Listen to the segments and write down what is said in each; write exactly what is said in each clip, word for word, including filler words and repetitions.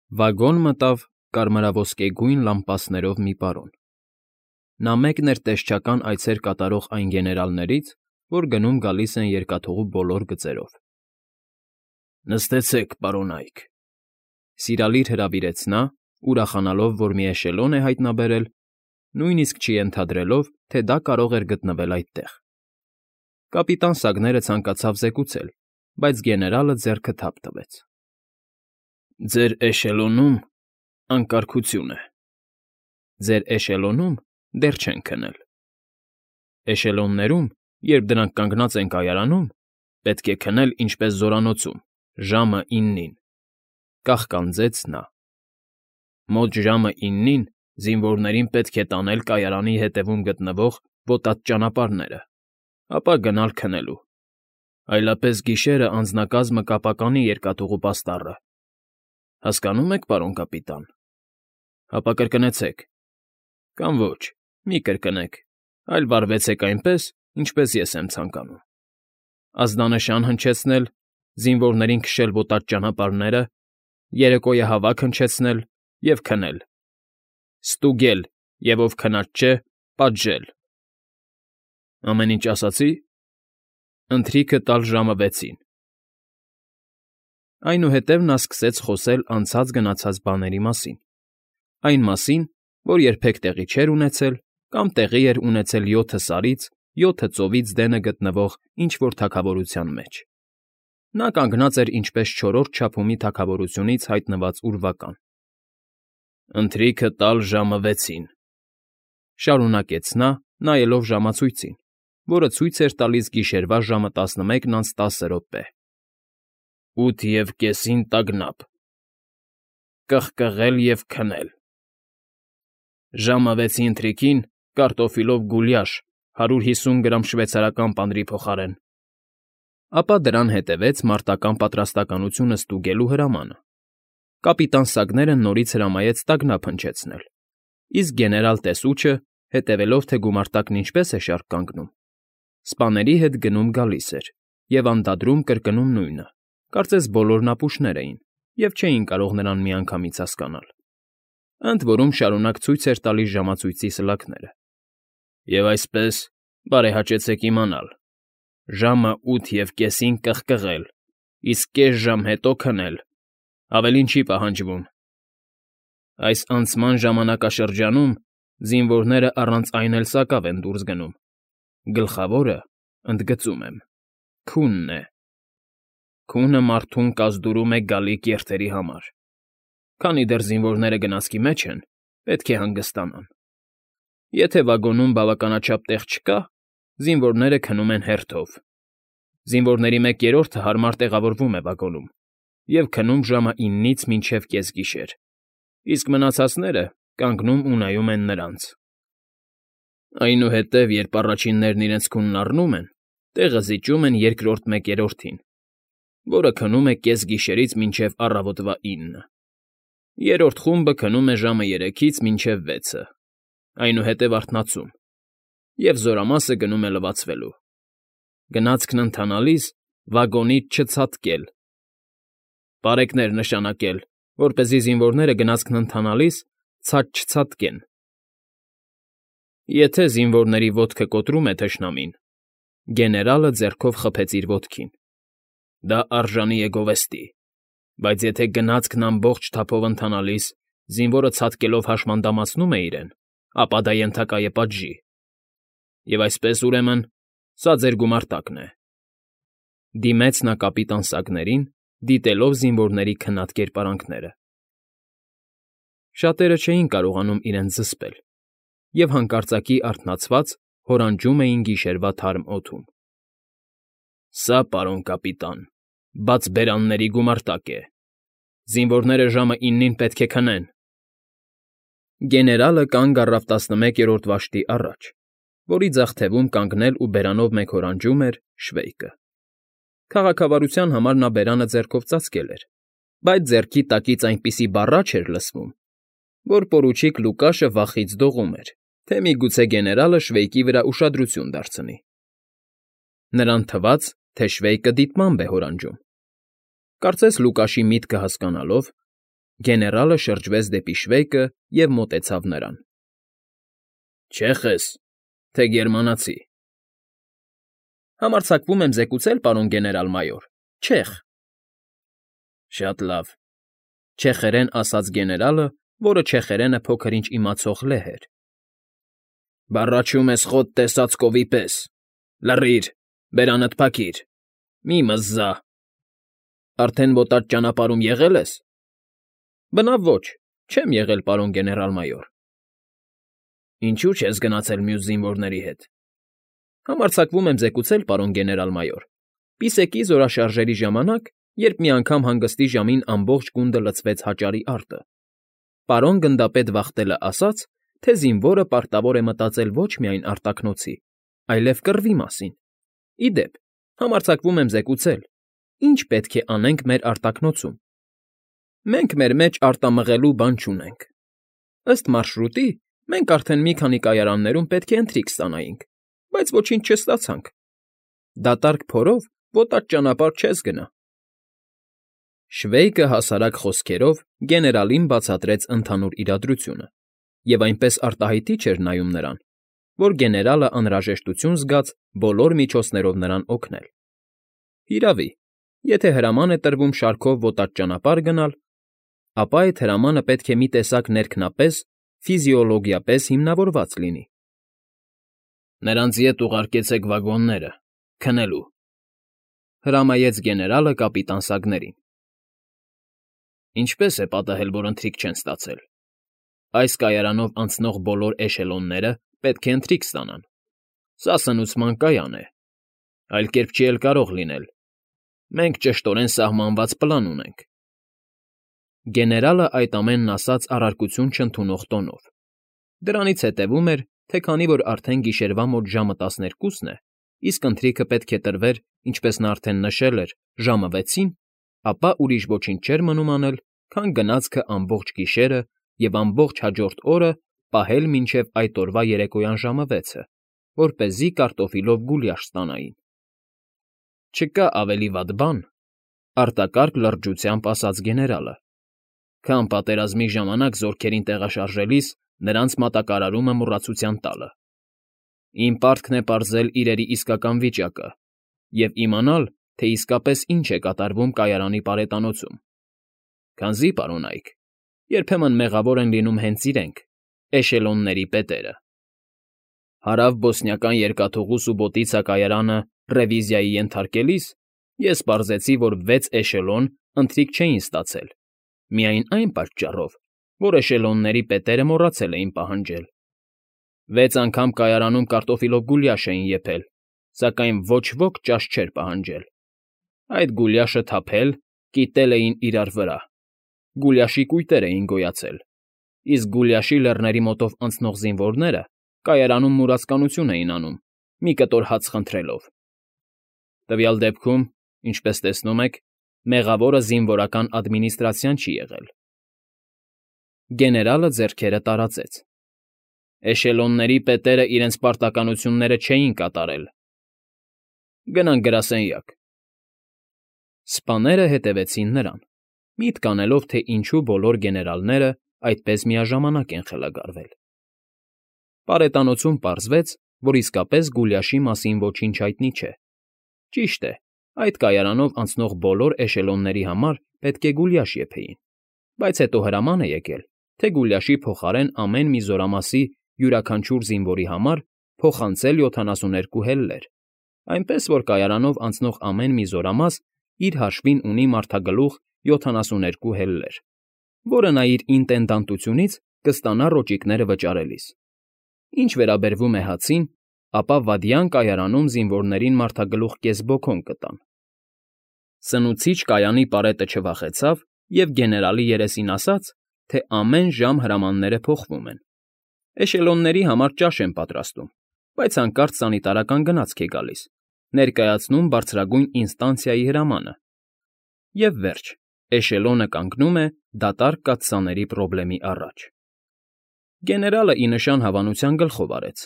Վագոն մտավ կարմրաոսկեգույն լամպասներով մի պարոն. նա մեկն էր տեսչական այցեր կատարող այն գեներալներից, որ գնում֊գալիս են երկաթուղու բոլոր գծերով։ ֊ Նստեցեք, պարոնայք,֊ սիրալիր հրավիրեց նա, ուրախանալով, որ մի էշելոն է հայտնաբերել, նույնիսկ չենթադրելով, թե դա կարող էր գտնվել այդտեղ։ կապիտան Սագները ցանկացավ զեկուցել, բայց գեներալը ձեռքը թափ տվեց։ ֊ Ձեր էշելոնում անկարգություն է։ ֊ Ձեր էշելոնում դեռ չեն քնել։ ֊ Էշելոններում, երբ դրանք կանգնած են կայարանում, պետք է քնել ինչպես զորանոցում, ժամը իննին,֊ կաղկանձեց նա։ ֊ Մոտ ժամը իննին զինվորներին պետք է տանել կայարանի ետևում գտնվող ոտած ճանապարհները, ապա գնալ քնելու, այլապես գիշերը անձնակազմը կապականի երկաթուղու պաստառը, հասկանո՞ւմ եք, պարոն կապիտան, հապա կրկնեցեք, կամ ոչ, մի կրկնեք, այլ վարվեցեք այնպես, ինչպես ես եմ ցանկանում. ազդանշան հնչեցնել, զինվորներին քշել ոտած ճանապարհները, երեկոյահավաք հնչեցնել և քնել, ստուգել և, ով քնած չէ, պատժել։ ֊ Ամեն ինչ ասացի՞։ ֊ Ընթրիքը տալ ժամը վեցին։ Այնուհետև նա սկսեց խոսել անցած֊գնացած բաների մասին, այն մասին, որ երբեք տեղի չէր ունեցել կամ տեղի էր ունեցել յոթը սարից, յոթը ծովից դենը գտնվող ինչ֊որ թագավորության մեջ. նա կանգնած էր ինչպես չորրորդ չափումի թագավորությունից հայտնված ուրվական։ ֊ Ընթրիքը տալ ժամը վեցին,֊ շարունակեց նա, նայելով ժամացույցին, որը ցույց էր տալիս գիշերվա ժամը տասնմեկն անց տասը րոպե,֊ ութ և կեսին տագնապ, կղկղել և քնել, ժամը վեցի ընթրիքին կարտոֆիլով գուլյաշ հարյուր հիսուն գրամ շվեյցարական պանրի փոխարեն։ Ապա դրան հետևեց մարտական պատրաստակամությունը ստուգելու հրամանը։ կապիտան Սագները նորից հրամայեց տագնապ հնչեցնել, իսկ գեներալ տեսուչը, հետևելով, թե գումարտակն ինչպես է շարք կանգնում, սպաների հետ գնում֊գալիս էր և անդադրում կրկնում նույնը, կարծես բոլորն ապուշներ էին և չէին կարող նրան միանգամից հասկանալ, ընդ որում շարունակ ցույց էր տալիս ժամացույցի սլաքները։ ֊ Եվ այսպես, բարեհաճեցեք իմանալ. ժամը ութ և կեսին կղկղել, իսկ կես ժամ հետո քնել, ավելին չի պահանջվում։ Այս անցման ժամանակաշրջանում զինվորները առանց այն էլ սակավ են դուրս գնում, գլխավորը, ընդգծում եմ, քունն է։ Քունը մարդուն կազդուրում է գալիք երթերի համար։ Քանի դեռ զինվորները գնացքի մեջ են, պետք է հանգստանան։ Եթե վագոնում բավականաչափ տեղ չկա, զինվորները քնում են հերթով։ Զինվորների մեկ երրորդը հարմար տեղավորվում է վագոնում և քնում ժամը իննից մինչև կեսգիշեր, իսկ մնացածները կանգնում ու նայում են նրանց։ Այնուհետև, երբ առաջիններն իրենց քունն առնում են, տեղը զիջում են երկրորդ մեկ երրորդին, որը քնում է կեսգիշերից մինչև առավոտվա ինը։ Երրորդ խումբը քնում է ժամը երեքից մինչև վեցը, այնուհետև արթնացում, և զորամասը գնում է լվացվելու։ Գնացքն ընթանալիս վագոնից չցատկել։ Պարեկներ նշանակել, որպեսզի զինվորները գնացքն ընթանալիս ցած չցատկեն։ Եթե զինվորների ոտքը կոտրում է թշնամին, գեներալը ձեռքով խփեց իր ոտքին, դա արժանի է գովեստի, բայց եթե գնացքն ամբողջ թափով ընթանալիս զինվորը ցատկելով հաշմանդամացնում է իրեն, ապա դա ենթակա է պատժի։ Եվ այսպես, ուրեմն, սա ձեր գումարտակն է,֊ դիմեց նա կապիտան Սագներին, դիտելով զինվորների քնած կերպարանքները։ Շատերը չէին կարողանում իրենց զսպել և հանկարծակի արթնացած հորանջում էին գիշերվա թարմ օդում։ ֊ Սա, պարոն կապիտան, բաց բերանների գումարտակ է։ Զինվորները ժամը իննին պետք է քնեն։ Գեներալը կանգ առավ տասնմեկերորդ վաշտի առաջ, որի ձախ թևում կանգնել ու բերանով մեկ հորանջում էր Շվեյկը։ Քաղաքավարության համար նա բերանը ձեռքով ծածկել էր, բայց ձեռքի տակից այնպիսի բառաչ էր լսվում, որ պորուչիկ Լուկաշը վախից դողում էր, թե միգուցե գեներալը Շվեյկի վրա ուշադրություն դարձնի։ Նրան թվաց, թե Շվեյկը դիտմամբ է հորանջում։ Կարծես Լուկաշի միտքը հասկանալով, Գեներալը շրջվեց դեպի Շվեյկը և մոտեցավ նրան։ ֊ Չեխ ես, թե գերմանացի։ ֊ Համարձակվում եմ զեկուցել, պարոն գեներալ֊մայոր, չեխ։ ֊ Շատ լավ,֊ չեխերեն ասաց գեներալը, որը չեխերենը փոքր֊ինչ իմացող լեհ էր։ ֊ Բառաչում ես խոտ տեսած կովի պես… Լռիր, բերանդ փակիր, մի՛ մզզա… Արդեն ոտած ճանապարհում եղե՞լ ես։ ֊ Բնավ ոչ, չեմ եղել, պարոն գեներալ֊մայոր։ ֊ Ինչո՞ւ չես գնացել մյուս զինվորների հետ։ ֊ Համարձակվում եմ զեկուցել, պարոն գեներալ֊մայոր, պիսեկի զորաշարժերի ժամանակ, երբ մի անգամ հանգստի ժամին ամբողջ գունդը լցվեց հաճարի արտը, պարոն գնդապետ Վախտելը ասաց, թե զինվորը պարտավոր է մտածել ոչ միայն արտաքնոցի, այլև կռվի մասին։ Ի դեպ, համարձակվում եմ զեկուցել, ինչ պետք է անենք մեր արտաքնոցում։ Մենք մեր մեջ արտամղելու բան չունենք։ Ըստ մարշրուտի, մենք արդեն մի քանի կայարաններում պետք է ընթրիք ստանայինք, բայց ոչինչ չստացանք։ Դատարկ փորով ոտած ճանապարհ չես գնա։ Շվեյկը հասարակ խոսքերով գեներալին բացատրեց ընդհանուր իրադրությունը, և այնպես արտահայտիչ էր նայում նրան, որ գեներալը անհրաժեշտություն զգաց բոլոր միջոցներով նրան օգնել։ Հիրավի, եթե հրաման է տրվում շարքով ոտած ճանապարհ գնալ, ապա այդ հրամանը պետք է մի տեսակ ներքնապես, ֆիզիոլոգիապես հիմնավորված լինի։ Նրանց ետ ուղարկեցեք վագոնները, քնելու,֊ հրամայեց գեներալը կապիտան Սագներին։ Ինչպե՞ս է պատահել, որ ընթրիք չեն ստացել։ Այս կայարանով անցնող բոլոր էշելոնները պետք է ընթրիք ստանան։ Սա սնուցման կայան է, այլ կերպ չի էլ կարող լինել։ Մենք ճշտորեն սահմանված պլան ունենք։ Գեներալը այդ ամենն ասաց առարկություն չընդունող տոնով։ Դրանից հետևում էր, թե քանի որ արդեն գիշերվա մոտ ժամը տասներկուսն է, իսկ ընթրիքը պետք է տրվեր, ինչպես նա արդեն նշել էր, ժամը վեցին, ապա ուրիշ ոչինչ չէր մնում անել, քան գնացքը ամբողջ գիշերը և ամբողջ հաջորդ օրը պահել մինչև այդ օրվա երեկոյան ժամը վեցը, որպեսզի կարտոֆիլով գուլյաշ ստանային։ Չկա ավելի վատ բան,֊ արտակարգ լրջությամբ ասաց գեներալը, քան պատերազմի ժամանակ զորքերին տեղաշարժելիս նրանց մատակարարումը մոռացության տալը։ Իմ պարտքն է պարզել իրերի իսկական վիճակը և իմանալ, թե իսկապես ինչ է կատարվում կայարանի պարետանոցում։ Քանզի, պարոնայք, երբեմն մեղավոր են լինում հենց իրենք, էշելոնների պետերը։ Հարավ֊բոսնիական երկաթուղու Սուբոտիցա կայարանը ռևիզիայի ենթարկելիս ես պարզեցի, որ վեց էշելոն ընթրիք չէին ստացել, միայն այն պատճառով, որ էշելոնների պետերը մոռացել էին պահանջել։ Վեց անգամ կայարանում կարտոֆիլով գուլյաշ էին եփել, սակայն ոչ ոք ճաշ չէր պահանջել։ Այդ գուլյաշը թափել, կիտել էին իրար վրա, գուլյաշի կույտեր էին գոյացել, իսկ գուլյաշի լեռների մոտով անցնող զինվորները կայարանում մուրացկանություն էին անում, մի կտոր հաց խնդրելով։ Տվյալ դեպքում, ինչպես տեսնում եք, մեղավորը զինվորական ադմինիստրացիան չի եղել։ Գեներալը ձեռքերը տարածեց։ Էշելոնների պետերը իրենց պարտականությունները չէին կատարել։ Գնանք գրասենյակ։ Սպաները հետևեցին նրան, միտք անելով, թե ինչու բոլոր գեներալները այդպես միաժամանակ են խելագարվել։ Պարետանոցում պարզվեց, որ իսկապես գուլյաշի մասին ոչինչ հայտնի չէ։ Ճիշտ է, այդ կայարանով անցնող բոլոր էշելոնների համար պետք է գուլյաշ եփեին, բայց հետո հրաման է եկել, թե գուլյաշի փոխարեն ամեն մի զորամասի յուրաքանչյուր զինվորի համար փոխանցել յոթանասուններկու հելլեր, այնպես որ կայարանով անցնող ամեն մի զորամաս իր հաշվին ունի մարդագլուխ յոթանասուներկու հելլեր, որը նա իր ինտենդանտությունից կստանա ռոճիկները վճարելիս։ Ինչ վերաբերվում է հացին, ապա վադյան կայարանում զինվորներին մարդագլուխ կես բոքոն կտան։ Սնուցիչ կայանի պարետը չվախեցավ և գեներալի երեսին ասաց, թե ամեն ժամ հրամանները փոխվում են։ Էշելոնների համար ճաշ են պատրաստում, բայց հանկարծ սանիտարական գնացք է գալիս, ներկայացնում բարձրագույն ինստանցիայի հրամանը։ Եվ վերջ, էշելոնը կանգնում է դատարկ կաթսաների պրոբլեմի առաջ։ Գեներալը ի նշան հավանության գլխով արեց,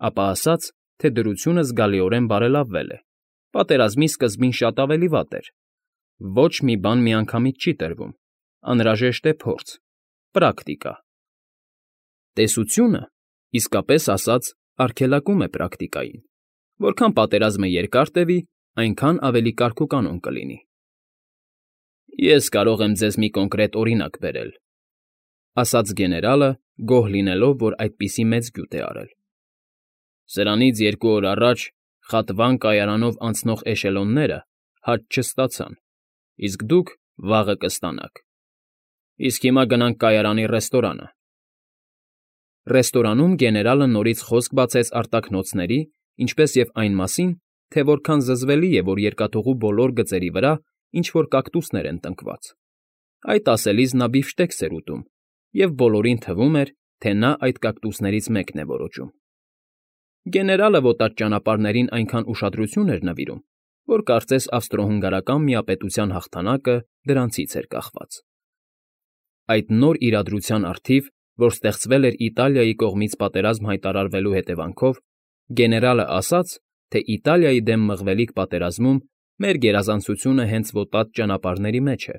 ապա ասաց, թե դրությունը զգալիորեն բարելավվել է, պատերազմի սկզբին շատ ավելի վատ էր։ Ոչ մի բան միանգամից չի տրվում, Անհրաժեշտ է փորձ, պրակտիկա։ Տեսությունը, իսկապես ասած, արգելակում է պրակտիկային. որքան պատերազմը երկար տևի, այնքան ավելի կարգուկանոն կլինի։ Ես կարող եմ ձեզ մի կոնկրետ օրինակ բերել,֊ ասաց գեներալը, գոհ լինելով, որ այդպիսի մեծ գյուտ է արել։ Սրանից երկու օր առաջ Խատվան կայարանով անցնող էշելոնները հաճ չստացան, իսկ դուք վաղը կստանաք։ Իսկ հիմա գնանք կայարանի ռեստորանը։ Ռեստորանում գեներալը նորից խոսք բացեց արտաքնոցների, ինչպես և այն մասին, թե որքան զզվելի է, որ երկաթուղու բոլոր գծերի վրա ինչ֊որ կակտուսներ են տնկված։ Այդ ասելիս նա բիֆշտեքս էր ուտում, և բոլորին թվում էր, թե նա այդ կակտուսներից մեկն է որոճում։ Գեներալը ոտած ճանապարհներին այնքան ուշադրություն էր նվիրում, որ կարծես ավստրո֊հունգարական միապետության հաղթանակը դրանցից էր կախված։ Այդ նոր իրադրության առթիվ, որ ստեղծվել էր Իտալիայի կողմից պատերազմ հայտարարվելու հետևանքով, գեներալը ասաց, թե Իտալիայի դեմ մղվելիք պատերազմում մեր գերազանցությունը հենց ոտած ճանապարհների մեջ է։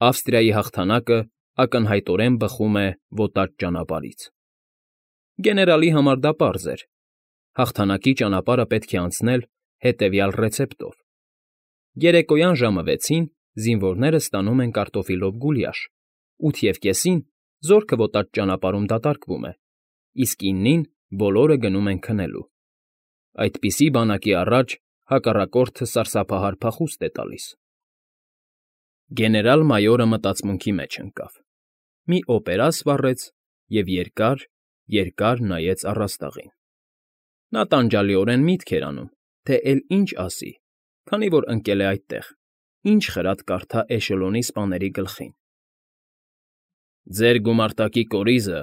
Ավստրիայի հաղթանակը ակնհայտորեն բխում է ոտած ճանապարհից։ Գեներալի համար դա պարզ էր. հաղթանակի ճանապարհը պետք է անցնել հետևյալ ռեցեպտով. երեկոյան ժամը վեցին զինվորները ստանում են կարտոֆիլով գուլյաշ, ութևկեսին զորքը ոտած ճանապարհում դատարկվում է, իսկ իննին բոլորը գնում են քնելու։ Այդպիսի բանակի առաջ հակառակորդը սարսափահար փախուստ է տալիս։ Գեներալ֊մայորը մտածմունքի մեջ ընկավ, մի օպերա սվառեց և երկար, երկար նայեց առաստաղին։ Նա տանջալիորեն միտք էր անում, թե էլի ինչ ասի, քանի որ ընկել է այդտեղ, ինչ խրատ կարդա էշելոնի սպաների գլխին։ Ձեր գումարտակի կորիզը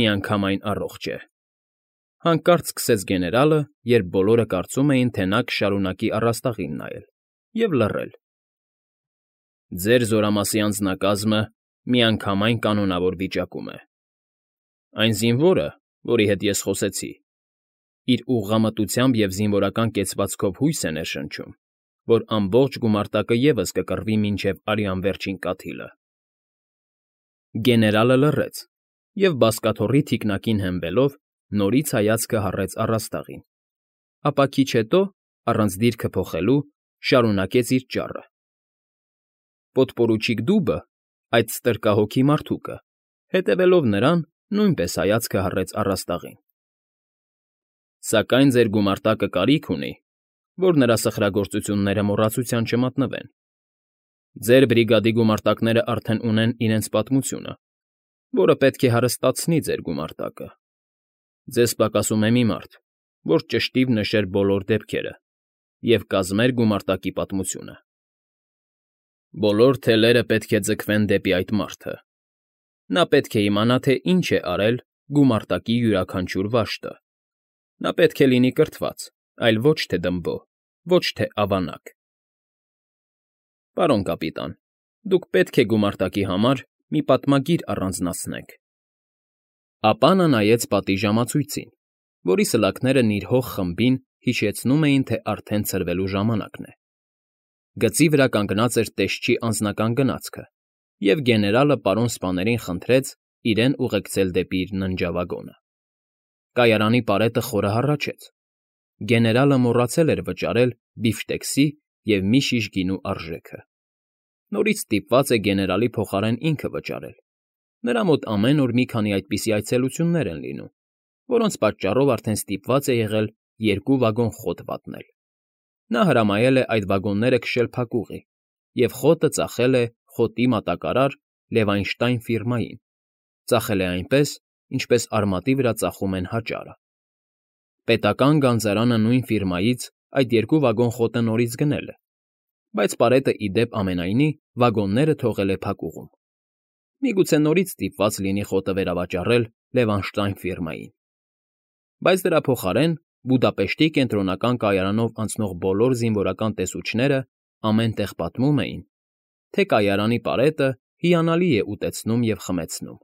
միանգամայն առողջ է,֊ հանկարծ սկսեց գեներալը, երբ բոլորը կարծում էին, թե նա կշարունակի առաստաղին նայել, և լռել։ Ձեր զորամասի անձնակազմը միանգամայն կանոնավոր վիճակում է։ Այն զինվորը, որի հետ ես խոսեցի, իր ուղղամտությամբ և զինվորական կեցվածքով հույս է ներշնչում, որ ամբողջ գումարտակը ևս կկռվի մինչև արյան վերջին կաթիլը։ Գեներալը լռեց և, բազկաթոռի թիկնակին հենվելով, նորից հայացքը հառեց առաստաղին, ապա քիչ հետո, առանց դիրքը փոխելու, շարունակեց իր ճառը։ Պոդպորուչիկ Դուբը, այդ ստրկահոգի մարդուկը, հետևելով նրան, նույնպես հայացքը հառեց առաստաղին։ Սակայն ձեր գումարտակը կարիք ունի, որ նրա սխրագործությունները մոռացության չմատնվեն։ Ձեր բրիգադի գումարտակները արդեն ունեն իրենց պատմությունը, որը պետք է հարստացնի ձեր գումարտակը։ Ձեզ պակասում է մի մարդ, որ ճշտիվ նշեր բոլոր դեպքերը և կազմեր գումարտակի պատմությունը։ Բոլոր թելերը պետք է ձգվեն դեպի այդ մարդը։ Նա պետք է իմանա, թե ինչ է արել գումարտակի յուրաքանչյուր վաշտը։ Նա պետք է լինի կրթված, այլ ոչ թե դմբո, ոչ թե ավանակ։ Պարոն կապիտան, դուք պետք է գումարտակի համար մի պատմագիր առանձնացնեք։ Ապա նա նայեց պատի ժամացույցին, որի սլաքները նիրհող խմբին հիշեցնում էին, թե արդեն ցրվելու ժամանակն է։ Գծի վրա կանգնած էր տեսչի անձնական գնացքը, և գեներալը պարոն սպաներին խնդրեց իրեն ուղեկցել դեպի իր ննջավագոնը։ Կայարանի պարետը խորը հառաչեց։ Գեներալը մոռացել էր վճարել բիֆշտեքսի և մի շիշ գինու արժեքը։ Նորից ստիպված է գեներալի փոխարեն ինքը վճարել։ Նրա մոտ ամեն օր մի քանի այդպիսի այցելություններ են լինում, որոնց պատճառով արդեն ստիպված է եղել երկու վագոն խոտ վատնել։ Նա հրամայել է այդ վագոնները քշել փակուղի և խոտը ծախել է խոտի մատակարար Լևայնշտայն ֆիրմային, ծախել է այնպես, ինչպես արմատի վրա ծախում են հաճարը։ Պետական գանձարանը նույն ֆիրմայից այդ երկու վագոն խոտը նորից գնել է, բայց պարետը, ի դեպ ամենայնի, վագոնները թողել է փակուղում։ Միգուցե նորից ստիպված լինի խոտը վերավաճառել Լևանշտայն ֆիրմային։ Բայց դրա փոխարեն Բուդապեշտի կենտրոնական կայարանով անցնող բոլոր զինվորական տեսուչները ամեն տեղ պատմում էին, թե կայարանի պարետը հիանալի է ուտեցնում և խմեցնում։